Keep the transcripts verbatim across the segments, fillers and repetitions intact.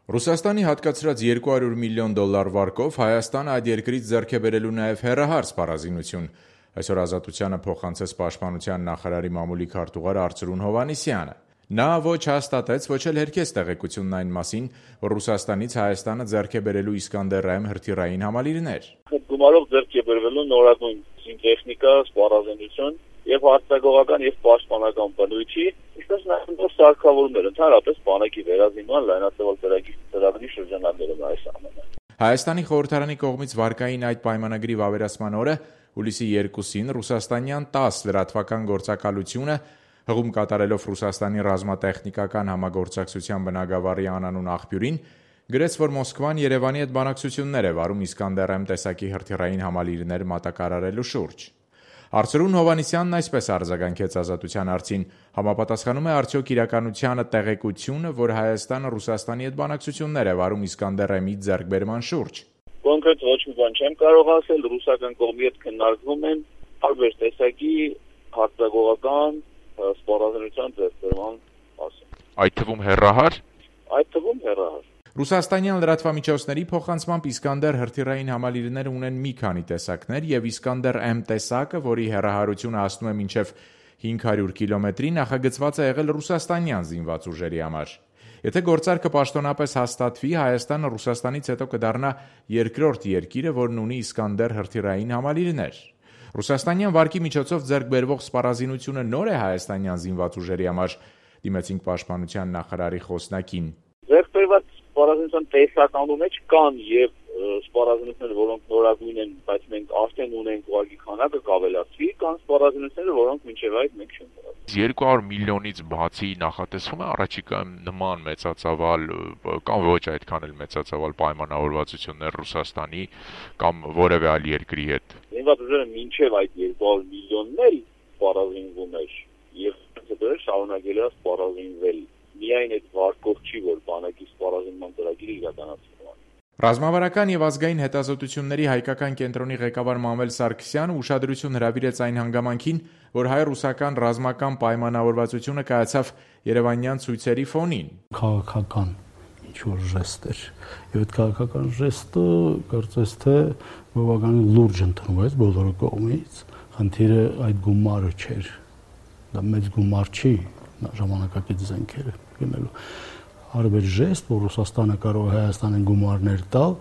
Ռուսաստանի հատկացրած երկու հարյուր միլիոն դոլար վարկով Հայաստանը այդ երկրից ձեռք է բերելու նաև հեռահար սպառազինություն։ Այսօր Ազատությանը փոխանցեց Պաշտպանության նախարարի մամուլի քարտուղար Արծրուն Հովհաննիսյանը։ Նա ոչ հաստատեց, ոչ էլ հերքեց տեղեկությունն այն մասին, որ Ռուսաստանից Հայաստանը ձեռք է բերելու Իսկանդեր M հրթիռային համալիրներ։ Գումարով ձեռք է բերվելու նորագույն զինտեխնիկա, սպառազինություն եւ արտագողական եւ պաշտպանական բնույթի, ինչպես նաեւ սարքավորումներ, ընդհանրապես բանակի վերազինման լայնածավալ ծրագրի ծրագրի շրջանակներում այս ամենը։ Հայաստանի խորհրդարանի կողմից վարկային այդ պայմանագրի վավերացման օրը հուլիսի երկուսին ռուսաստանյան տաս լրատվական գործակալությունը հղում կատարելով Ռուսաստանի ռազմատեխնիկական համագործակցության բնագավառի անանուն աղբյուրին գրեց, որ Մոսկվան Երևանի հետ բանակցություններ է վարում Իսկանդեր M տեսակի հրթիռային համալիրներ մատակարարելու շուրջ։ Արծրուն Հովհաննիսյանն այսպես արձագանքեց Ազատության հարցին. համապատասխանում է արդյոք իրականությանը տեղեկությունը, որ Հայաստանը Ռուսաստանի հետ բանակցություններ է վարում Իսկանդեր M-ի ձեռքբերման շուրջ։ Կոնկրետ ոչ մի բան չեմ կարող ասել, ռուսական կողմի հետ քննարկվում են տարբեր տեսակի հարձակողական սպառազինության ձեռքբերման մասին։ Այդ թվում հեռահար։ Այդ թվում հեռահար։ Ռուսաստանյան լրատվամիջոցների փոխանցմամբ Իսկանդեր հրթիռային համալիրները ունեն մի քանի տեսակներ եւ Իսկանդեր M տեսակը, որի հեռահարությունը հասնում է մինչեւ հինգ հարյուր կիլոմետրի, նախագծված է եղել ռուսաստանյան զինված ուժերի համար։ Եթե գործարքը պաշտոնապես հաստատվի, Հայաստանը Ռուսաստանից հետո կդառնա երկրորդ երկիրը, որն ունի Իսկանդեր հրթիռային համալիրներ։ Ռուսաստանյան վարկի միջոցով ձեռք բերվող սպառազինությունը նոր է հայաստանյան զինված ուժերի համար, դիմեցինք Պաշտպանության նախարարի խոսնակին։ Ձեռքբերված սպառազինության տեսականու մեջ կան եւ սպառազինություններ, որոնք նորագույն են, բայց մենք արդեն ունենք ուղղակի քանակը կավելացվի, կան սպառազինությունները, որոնք մինչեւ այդ մենք չենք ունեցել։ երկու հարյուր միլիոնից բացի նախատեսվում է առաջիկայում նման մեծածավալ կամ ոչ այդքան էլ մեծածավալ պայմանավորվածություններ Ռուսաստանի կամ որևէ այլ երկրի հետ։ Զինված ուժերը մինչեւ այդ երկու հարյուր միլիոնն էլ սպառազինվում էր եւ հետո շարունակել է սպառազինվել։ Միայն այդ վարկով չի, որ բանակի սպառազինման ծրագիրը իրականացվում է։ Ռազմավարական եւ ազգային հետազոտությունների հայկական կենտրոնի ղեկավար Մանվել Սարգսյանը ուշադրություն հրավիրեց այն հանգամանքին, որ հայ-ռուսական ռազմական պայմանավորվածությունը կայացավ երևանյան ցույցերի ֆոնին։ Քաղաքական ինչ-որ ժեստ էր։ Եվ այդ քաղաքական ժեստը կարծես թե բավականին լուրջ ընդունվեց բոլորի կողմից։ Խնդիրը այդ գումարը չէր։ Դա մեծ գումար չի, ժամանակակից զենքերը գնելու։ Արվել ժեստ, որ Ռուսաստանը կարող է Հայաստանին գումարներ տալ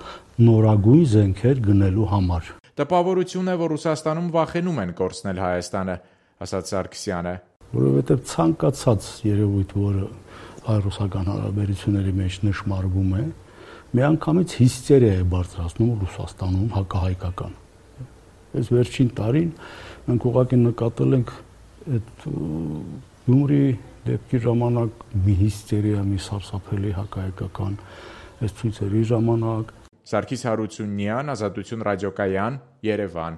նորագույն զենքեր գնելու համար։ Տպավորություն է, որ Ռուսաստանում վախենում են կորցնել Հայաստանը, ասաց Սարգսյանը։ Որովհետև ցանկացած երևույթ, որը հայ-ռուսական հարաբերությունների մեջ նշмарվում է, միանգամից հիստերիա է բարձրացնում Ռուսաստանում հակահայկական։ Այս վերջին տարին մենք ուղղակի նկատել ենք այդ Գյումրի դեպքի ժամանակ մի հիստերիա, մի սարսափելի հակահայկական այս ցույցերի ժամանակ։ Սարգիս Հարությունյան, Ազատություն ռադիոկայան, Երևան։